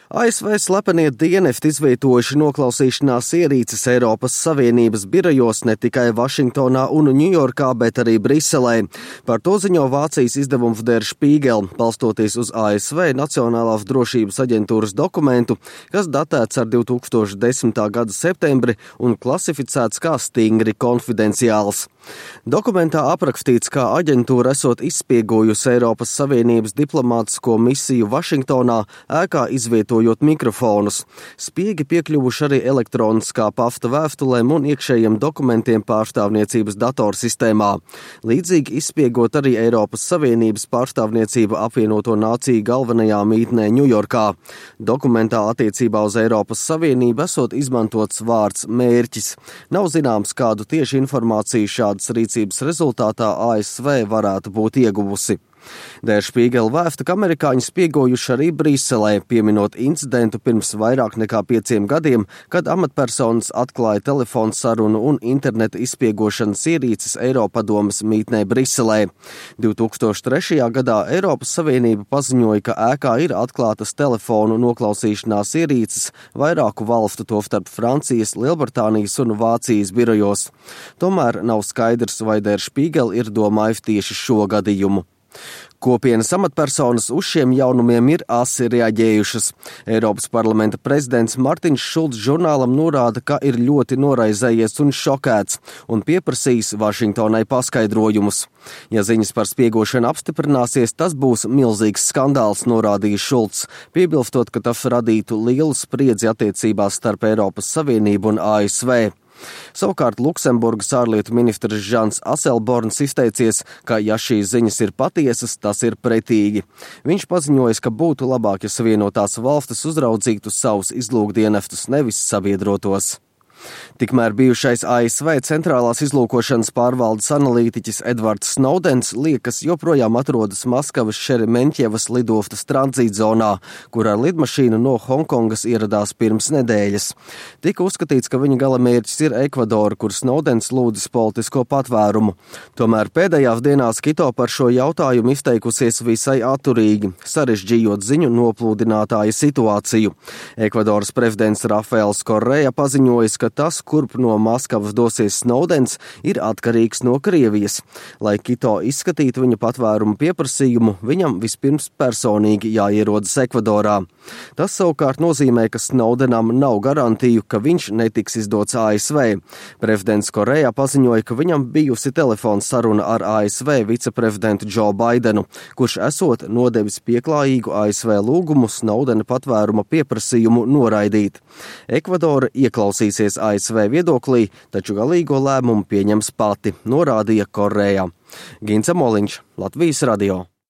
ASV slepenie dienesti izvietojuši noklausīšanās ierīces Eiropas Savienības birojos ne tikai Vašingtonā un Ņujorkā, bet arī Briselē. Par to ziņo Vācijas izdevums Der Spiegel, balstoties uz ASV Nacionālās drošības aģentūras dokumentu, kas datēts ar 2010. gada septembri un klasificēts kā stingri konfidenciāls. Dokumentā aprakstīts, kā aģentūra esot izspiegojusi Eiropas Savienības diplomātisko misiju Vašingtonā, ēkā izvietojot mikrofonus. Spiegi piekļuvuši arī elektroniskā pasta vēstulēm un iekšējiem dokumentiem pārstāvniecības datorsistēmā. Līdzīgi izspiegot arī Eiropas Savienības pārstāvniecība apvienoto nāciju galvenajā mītnē Ņujorkā. Dokumentā attiecībā uz Eiropas Savienību esot izmantots vārds mērķis. Nav zināms, kādu tieši informāciju šādas rīcības rezultātā ASV varētu būt ieguvusi. Der Spiegel vēsta, ka amerikāņi spiegojuši arī Briselē, pieminot incidentu pirms vairāk nekā 5 gadiem, kad amatpersonas atklāja telefonu sarunu un interneta izspiegošanas ierīces Eiropadomes mītnē Briselē. 2003. gadā Eiropas Savienība paziņoja, ka ēkā ir atklātas telefonu noklausīšanās ierīces vairāku valstu, tostarp Francijas, Lielbritānijas un Vācijas birojos. Tomēr nav skaidrs, vai Der Spiegel ir domājis tieši šo gadījumu. Kopienas amatpersonas uz šiem jaunumiem ir asi reaģējušas. Eiropas parlamenta prezidents Martins Šulcs žurnālam norāda, ka ir ļoti noraizējies un šokēts un pieprasījis Vašingtonai paskaidrojumus. Ja ziņas par spiegošanu apstiprināsies, tas būs milzīgs skandāls, norādīja Šulcs, piebilstot, ka tas radītu lielu spriedzi attiecībās starp Eiropas Savienību un ASV. Savukārt Luksemburgas ārlietu ministrs Žans Aselborns izteicies, ka ja šīs ziņas ir patiesas, tas ir pretīgi. Viņš paziņoja, ka būtu labāk, ja Savienotās valstis uzraudzītu savus izlūkdienestus, nevis sabiedrotos. Tikmēr bijušais ASV centrālās izlūkošanas pārvaldes analītiķis Edvards Snowdens liekas joprojām atrodas Maskavas Šeremeņķievas lidostas tranzītzonā, kur ar lidmašīnu no Hongkongas ieradās pirms nedēļas. Tika uzskatīts, ka viņa galamērķis ir Ekvadora, kur Snowdens lūdzis politisko patvērumu. Tomēr pēdējās dienās Kito par šo jautājumu izteikusies visai atturīgi, sarežģījot ziņu noplūdinātāja situāciju. Ekvadoras prezidents Rafaels Korrea paziņojis, ka tas, kurp no Maskavas dosies Snowdens, ir atkarīgs no Krievijas. Lai Kito izskatītu viņa patvērumu pieprasījumu, viņam vispirms personīgi jāierodas Ekvadorā. Tas savukārt nozīmē, ka Snowdenam nav garantiju, ka viņš netiks izdots ASV. Prezidents Korejā paziņoja, ka viņam bijusi telefona saruna ar ASV viceprezidentu Joe Bidenu, kurš esot nodevis pieklājīgu ASV lūgumu Snowdena patvēruma pieprasījumu noraidīt. Ekvadora ieklausīsies ASV viedoklī, taču galīgo lēmumu pieņems pati, norādīja Korejā. Gints Moliņš, Latvijas radio.